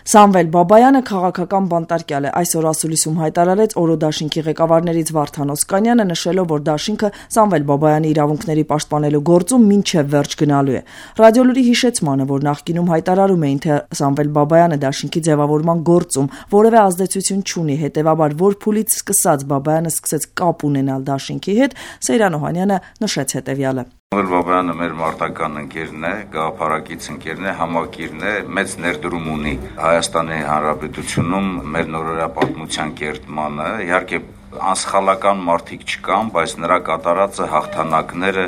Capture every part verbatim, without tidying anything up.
Սամվել Բաբայանը քաղաքական բանտարկյալ է, այսօր ասուլիսում հայտարարեց Օրո դաշինքի ղեկավարներից Վարդան Օսկանյանը, նշելով, որ դաշինքը Սամվել Բաբայանի իրավունքների պաշտպանելու գործում մինչև վերջ գնալու է։ Ռադիոլուրի հիշեցմանը, որ նախկինում հայտարարում էին, թե Սամվել Բաբայանը դաշինքի ձևավորման գործում որևէ ազդեցություն չունի, հետևաբար որ փուլից սկսած Բաբայանը սկսեց կապ ունենալ դաշինքի հետ, Սեյրան Օհանյանը նշեց հետևյալը. Սամվել Բաբայանը մեր մարտական ընկերն է, գաղափարակից ընկերն է, համակիրն է, մեծ ներդրում ունի Հայաստանի Հանրապետությունում մեր նորորյա պատմության կերտմանը, իհարկե անսխալական մարդիկ չկան, բայց նրա կատարածը հաղթանակները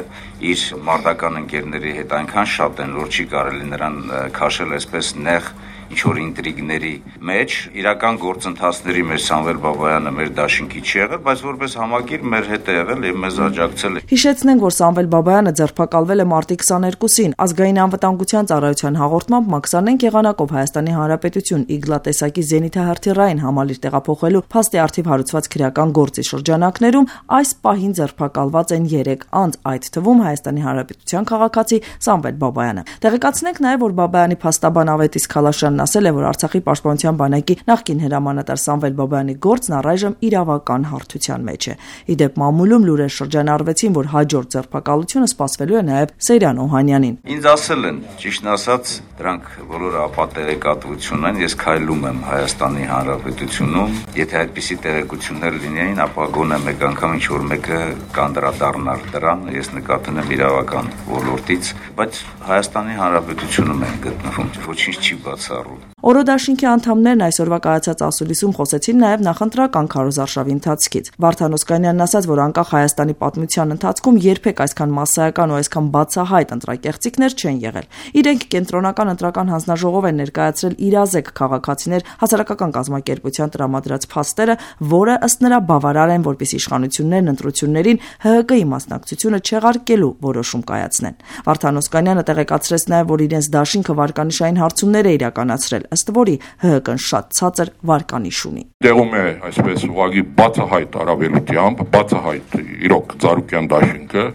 իր մարտական ընկերների հետ այնքան շատ են, որ չի կարելի նրան քաշել այսպես նեղ ինչ-որ ինտրիգների մեջ, իրական գործընթացների մեր Սամվել Բաբայանը մեր դաշինքի չի եղել, բայց որպես համակիր մեր հետ է եղել եւ մեզ աջակցել է։ Հիշեցնենք, որ Սամվել Բաբայանը ձերբակալվել է մարտի քսաներկուսին, ազգային անվտանգության ծառայության հաղորդմամբ մաքսանենք եղանակով Հայաստանի Հանրապետություն իգլա տեսակի զենիթահրթիռային համալիր տեղափոխելու փաստի արդիվ հարուցված քրեական գործի շրջանակներում այս պահին ձերբակալված են երեք անձ, այդ թվում Հայաստանի Հանրապետության քաղաքացի Սամվել Բաբայանը։ Տեղեկացնենք նաեւ, որ Բաբայանի փաստաբան Ավետիս Քալաշյանն ասել է, որ Արցախի պաշտպանության բանակի նախկին հրամանատար Սամվել Բաբայանի գործն առայժմ իրավական հարթության մեջ է։ Իդեպ մամուլում լուրեր շրջանառվեցին, որ հաջորդ ձերբակալությունը սպասվելու է նաև Սեյրան Օհանյանին։ Ինձ ասել են, ճիշտն ասած, դրանք բոլորը ապատեղեկատվություն են, ես քայլում եմ Հայաստանի Հանրապետությունում, եթե այդպիսի տեղեկություններ լինեին, ապա գոնե մեկ անգամ ինչ-որ մեկը կանդրադառնար դրան, ես նկատում եմ իրավական ոլորտից, բայց Հայաստանի Հանրապետությունում են գտնվում, ոչինչ չի բացառում։ Օրո դաշինքի անդամներն այսօրվա կայացած ասուլիսում խոսեցին նաև նախընտրական քարոզարշավի ընթացքից։ Վարդան Օսկանյանն ասաց, որ անկախ Հայաստանի պատմության ընթացքում երբեք այսքան մասսայական ու այսքան բացահայտ ընտրակեղծիքներ չեն եղել։ Իրենք կենտրոնական ընտրական հանձնաժողով են ներկայացրել իրազեկ քաղաքացիներ հասարակական կազմակերպության տրամադրած փաստերը, որը ըստ նրա բավարար են, որպեսզի իշխանություններն ընտրություններին Հ Հ Կ-ի մասնակցությունը չեղարկելու որոշում կայացնեն։ Վարդան Օսկանյանը տեղեկացրեց նաև, որ իրենց դաշինքը վարկանիշային հարցումներ է իրականացրել, ըստ որի Հ Հ Կն շատ ցածր վարկանիշ ունի։ Տեղում է այսպես ուղղակի բացահայտ առավելությամբ, բացահայտ իրոք Ծառուկյան դաշինքը,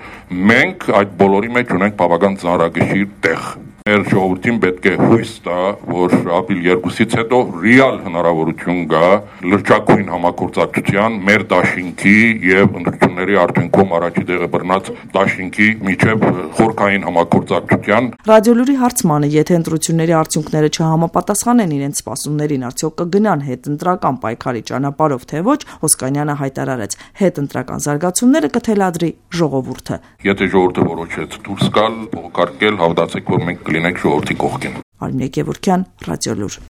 մենք այդ բոլորի մեջ ունենք բավական ծանրագիր տեղ։ Մեր ժողովրդին պետք է հույս տա, որ ապրիլ երկուսից հետո ռեալ հնարավորություն կա լրջակույն համագործակցության մեր դաշինքի եւ ընտրությունների արդյունքում առաջի տեղը բռնած դաշինքի միջև խորքային համագործակցության։ Ռադիոլուրի հարցմանը, եթե ընտրությունների արդյունքները չհամապատասխանեն իրենց սպասումներին, արդյոք կգնան հետընտրական պայքարի ճանապարհով թե ոչ, Օսկանյանը հայտարարեց, հետընտրական զարգացումները կթելադրի ժողովուրդը։ Եթե ժողովուրդը որոշեց դուրս գալ, փոխարկել, հավատացեք, որ մենք կլինենք ժողովրդի կողքին։ Արմինե Գևորգյան, Ռադիոլուր։